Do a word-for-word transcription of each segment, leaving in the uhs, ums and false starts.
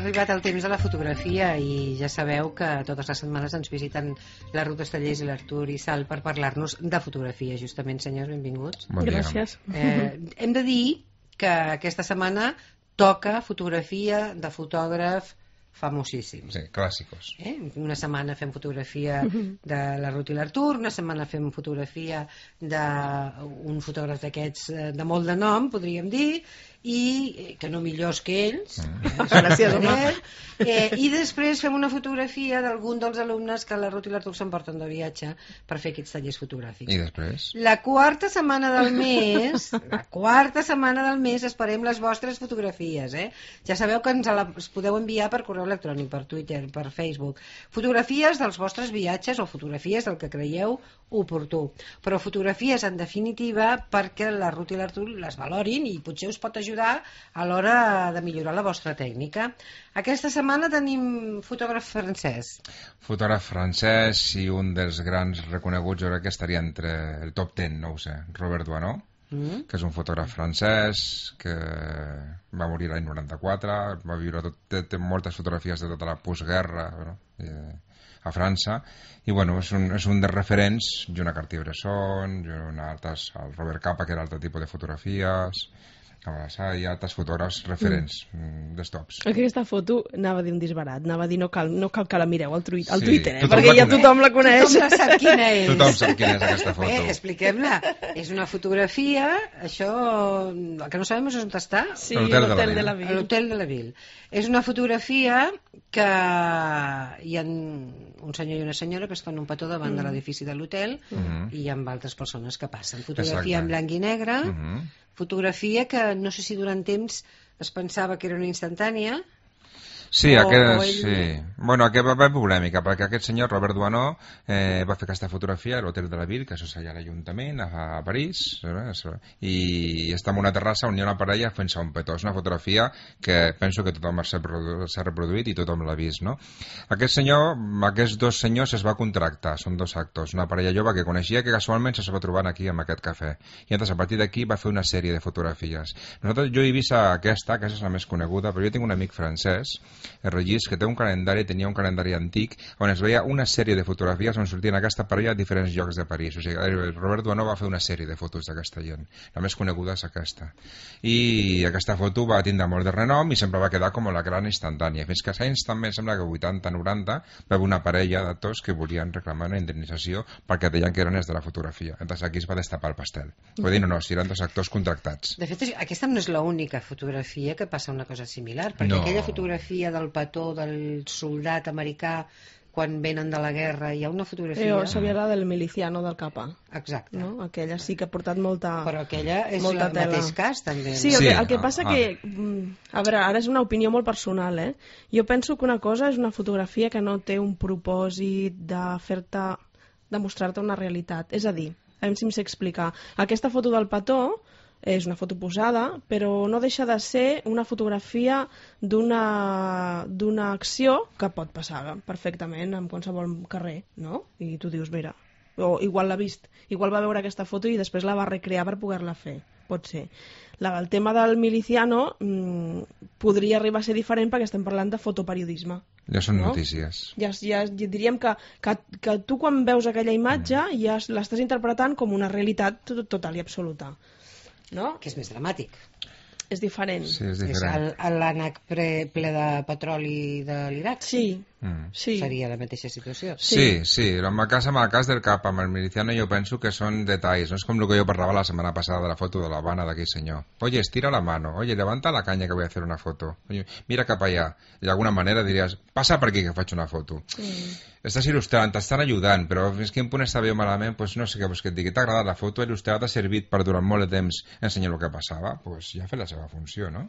arribat el temps de la fotografia i ja sabeu que totes les setmanes ens visiten la Ruth Estellés i l'Artur i Sal per parlar-nos de fotografia. Justament, senyors, benvinguts. Bon dia. Gràcies. Eh, hem de dir que aquesta setmana toca fotografia de fotògraf famosíssims. Sí, clàssicos. Eh? Una setmana fem fotografia de la Ruth i l'Artur, una setmana fem fotografia d'un fotògraf d'aquests de molt de nom, podríem dir, i que no millors que ells, Mm. gràcies a eh, i després fem una fotografia d'algun dels alumnes que la Ruth i l'Artur s'emporten de viatge per fer aquests tallers fotogràfics. I després? La quarta setmana del mes, la quarta setmana del mes esperem les vostres fotografies, eh? Ja sabeu que ens les podeu enviar per correu electrònic, per Twitter, per Facebook. Fotografies dels vostres viatges o fotografies del que creieu oportú. Però fotografies, en definitiva, perquè la Ruth i l'Artur les valorin i potser us pot ajudar a l'hora de millorar la vostra tècnica. Aquesta setmana tenim fotògraf francès. Fotògraf francès i un dels grans reconeguts, jo crec que estaria entre el top deu, no ho sé, Robert Doisneau, mm. que és un fotògraf francès que va morir l'any noranta-quatre, va viure tot, té, té moltes fotografies de tota la postguerra, no? I, a França, i bueno, és un, és un dels referents, Joan Cartier-Bresson, altres, el Robert Capa, que era altre tipus de fotografies, hi ha altres fotògrafs referents, mm. dels tops. Aquesta foto anava a dir un disbarat, anava a dir no cal, no cal que la mireu al, tuit, al Sí, Twitter, eh? tothom perquè la ja coneix. tothom la coneix. Tothom la sap quina és. Tothom sap quina és aquesta foto. Bé, expliquem-la. És una fotografia, això, el que no sabem és on està. Sí, L'hotel de la l'hotel Ville. de la A Ville. l'hotel de la Ville. És una fotografia que hi ha un senyor i una senyora que es fan un petó davant mm. de l'edifici de l'hotel Mm. i hi ha altres persones que passen. Fotografia Exacte. en blanc i negre, Mm -hmm. fotografia que no sé si durant temps es pensava que era una instantània. Sí, O- aquest, o ell- sí. Bueno, aquest va haver polèmica, perquè aquest senyor, Robert Doisneau, eh, va fer aquesta fotografia a l'Hotel de la Ville, que això és allà a l'Ajuntament, a, a París, eh, i està en una terrassa on hi ha una parella fent-se un petó. És una fotografia que penso que tothom s'ha reprodu- s'ha reproduït i tothom l'ha vist, no? Aquest senyor, aquests dos senyors es va contractar, són dos actors, una parella jove que coneixia que casualment se va trobant aquí en aquest cafè. I llavors, a partir d'aquí va fer una sèrie de fotografies. Nosaltres, jo he vist aquesta, aquesta és la més coneguda, però jo tinc un amic francès, el Regis, que té un calendari, tenia un calendari antic on es veia una sèrie de fotografies on sortien aquesta parella a diferents llocs de París. O sigui, el Robert Doisneau va fer una sèrie de fotos d'aquesta gent. La més coneguda és aquesta. I aquesta foto va tindre molt de renom i sempre va quedar com la gran instantània. Fins que als anys també, sembla que vuitanta noranta, va haver una parella d'actors que volien reclamar una indemnització perquè deien que eren els de la fotografia. Entonces aquí es va destapar el pastel. Vull dir, no, no, si eren dos actors contractats. De fet, aquesta no és l'única fotografia que passa una cosa similar, perquè No. aquella fotografia del petó del soldat americà quan venen de la guerra, hi ha una fotografia... Jo sabia la del miliciano del Capa, Exacte. no? Aquella sí que ha portat molta... Però aquella és molta el tela. mateix cas, també. Sí, el, Sí, que, el que passa ah, que... mm, A veure, ara és una opinió molt personal, eh? Jo penso que una cosa és una fotografia que no té un propòsit de fer-te... de mostrar-te una realitat. És a dir, a veure si em sé explicar. Aquesta foto del petó és una foto posada, però no deixa de ser una fotografia d'una d'una acció que pot passar perfectament en qualsevol carrer, no? I tu dius, mira, o igual l'ha vist, igual va veure aquesta foto i després la va recrear per poder-la fer, pot ser. La, el tema del miliciano mmm, podria arribar a ser diferent perquè estem parlant de fotoperiodisme. Ja són No? notícies. Ja, ja diríem que, que, que tu quan veus aquella imatge ja l'estàs interpretant com una realitat tot- total i absoluta. No? Que és més dramàtic. És diferent. Sí, és És diferent. el- l'ànec pre- ple de petroli de l'Iraq. Sí, Mm. sí. Seria la mateixa situació. Sí, sí, en el cas, amb el cas del cap, amb el miliciano, jo penso que són detalls, no és com el que jo parlava la setmana passada de la foto de l'Havana d'aquell senyor. Oye, estira la mano, oye, levanta la canya que voy a hacer una foto. Oye, mira cap allà. I d'alguna manera diries, passa per aquí que faig una foto. Mm. Estàs il·lustrant, t'estan ajudant, però fins quin punt està bé o malament, pues no sé què vols que et digui. T'ha agradat la foto, il·lustrat, t'ha servit per durant molt de temps ensenyar el que passava, pues ja ha fet la seva funció, no?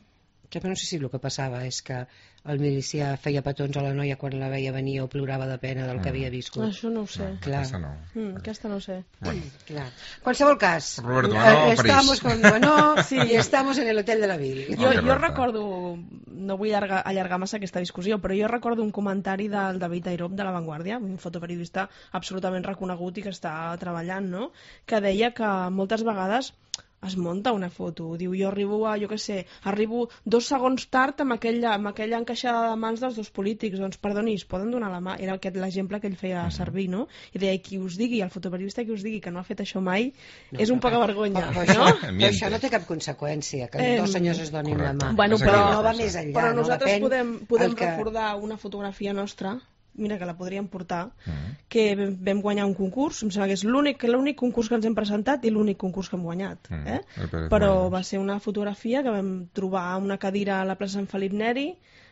Jo no sé si el que passava és que el milicià feia petons a la noia quan la veia venir o plorava de pena del que havia viscut. Això no ho sé. No, Clar. aquesta no. Mm, aquesta no ho sé. Bueno. Clar. Qualsevol cas, Robert Doisneau, eh, estamos París. con Doisneau sí. i estamos en el hotel de la Ville. Jo, Oh, que jo rata. recordo, no vull allargar, allargar massa aquesta discussió, però jo recordo un comentari del David Airop de La Vanguardia, un fotoperiodista absolutament reconegut i que està treballant, no? Que deia que moltes vegades es munta una foto. Diu, jo arribo a, jo què sé, arribo dos segons tard amb aquella, amb aquella encaixada de mans dels dos polítics. Doncs, perdoni, es poden donar la mà. Era aquest l'exemple que ell feia servir, no? I deia, qui us digui, el fotoperiodista que us digui que no ha fet això mai, no, és un poca vergonya. Però, però, no? Això, però això no té cap conseqüència, que eh, dos senyors es donin correcte. la mà. Bueno, però, no va més enllà. Però nosaltres no? podem, podem que... recordar una fotografia nostra, mira que la podríem portar, Mm. que vam guanyar un concurs, em sembla que és l'únic l'únic concurs que ens hem presentat i l'únic concurs que hem guanyat. Mm. Eh? El Pérez Però Molinos. va ser una fotografia que vam trobar a una cadira a la plaça Sant Felip Neri,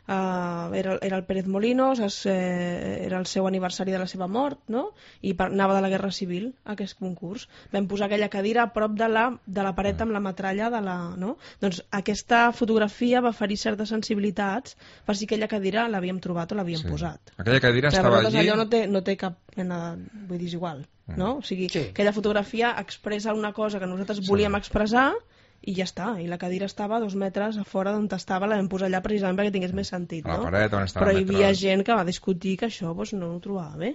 uh, era, era el Pérez Molinos, es, eh, era el seu aniversari de la seva mort, no? I per, anava de la Guerra Civil, aquest concurs. Vam posar aquella cadira a prop de la, de la paret amb la metralla de la... No? Doncs aquesta fotografia va ferir certes sensibilitats per si aquella cadira l'havíem trobat o l'havíem Sí. posat. Aquella cadira Clar, estava per allí... allò no té, no té cap mena de... Vull dir, és igual, no? O sigui, Sí. aquella fotografia expressa una cosa que nosaltres volíem expressar i ja està. I la cadira estava a dos metres a fora d'on estava, la vam posar allà precisament perquè tingués més sentit, A la no? paret on estava Però la hi havia metralla. gent que va discutir que això doncs, no ho trobava bé.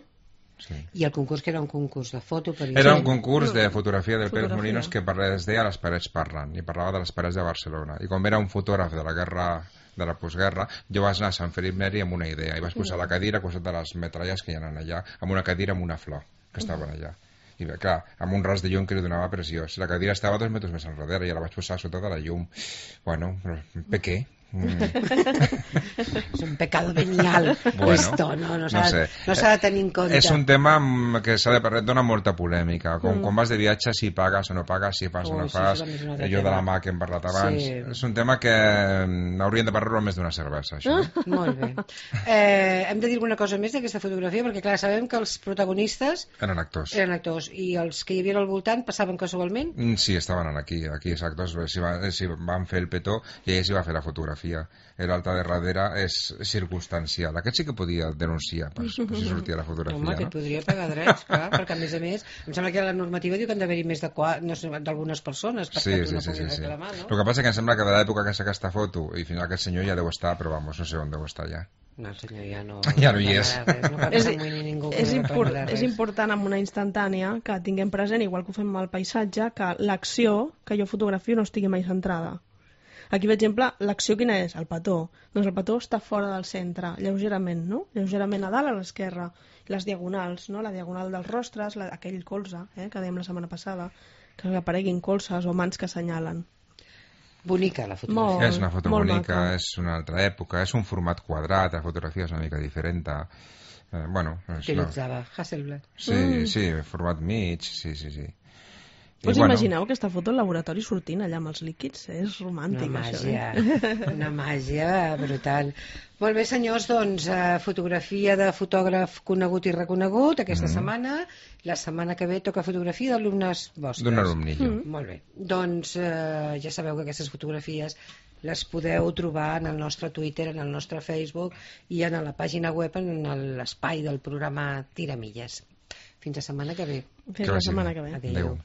Sí. I el concurs que era un concurs de foto per Era un concurs de fotografia del Pérez Fotografia. Molinos que parla- es deia Les parets parlen, i parlava de les parets de Barcelona. I com era un fotògraf de la guerra de la postguerra, jo vaig anar a Sant Felip Neri amb una idea, i vaig posar la cadira a costat de les metralles que hi ha allà, amb una cadira amb una flor, que estaven allà. I bé, clar, amb un ras de llum que li donava preciós. La cadira estava dos metres més enrere i la vaig posar sota de la llum. Bueno, però pequé. Mm. És un pecado venial, Bueno, esto, no, no s'ha no sé. no s'ha de tenir en compte. És un tema mm, que s'ha de parlar, dona molta polèmica. Com, mm. quan vas de viatge, si pagues o no pagues, si fas o Ui, no sí, fas, això també és un altre allò de tema. la mà que hem parlat abans. Sí. És un tema que mm, hauríem de parlar-ho més d'una cervesa, això. Molt bé. Eh, hem de dir alguna cosa més d'aquesta fotografia, perquè clar, sabem que els protagonistes Eren actors. eren actors i els que hi havia al voltant passaven casualment. Mm, Sí, estaven aquí, aquí els actors, si, va, si van fer el petó i ell s'hi va fer la fotografia. Era alta de darrere, és circumstancial. Aquest sí que podia denunciar per, per si sortia la fotografia, Home, que no? et podria pagar drets, clar, perquè a més a més, em sembla que la normativa diu que han d'haver-hi més de qua- no sé, d'algunes persones perquè Sí, tu sí, no sí, sí, puguis sí. reclamar, El no? que passa que em sembla que de l'època que s'ha aquesta foto i final aquest senyor ja deu estar, però vamos, no sé on deu estar ja. No, el senyor ja no... Ja no hi és. reclamarà res, no cal que És, s'amoïni ningú que és, no import, reclamarà és res. important amb una instantània que tinguem present, igual que ho fem amb el paisatge, que l'acció que jo fotografio no estigui mai centrada. Aquí, per exemple, l'acció quina és? El petó. Doncs el petó està fora del centre, lleugerament, no? Lleugerament a dalt, a l'esquerra. Les diagonals, no? La diagonal dels rostres, la, aquell colze, eh, que dèiem la setmana passada, que apareguin colzes o mans que assenyalen. Bonica la fotografia. Molt, És una foto molt bonica, maca. és una altra època, és un format quadrat, la fotografia és una mica diferent. Eh, bueno, és, no. Utilitzava Hasselblad. Sí, Mm. sí, format mig, sí, sí, sí. I Us bueno, imagineu aquesta foto al laboratori sortint allà amb els líquids? És romàntic, Una això. màgia, Eh? una màgia brutal. Molt bé, senyors, doncs, eh, fotografia de fotògraf conegut i reconegut aquesta Mhm. setmana. La setmana que ve toca fotografia d'alumnes vostres. d'un alumnillo. Mm. Molt bé. Doncs eh, ja sabeu que aquestes fotografies les podeu trobar en el nostre Twitter, en el nostre Facebook i en la pàgina web, en l'espai del programa Tiramilles. Fins la setmana que ve. Fins Que la vagi setmana bé. que ve. Adéu. Adéu.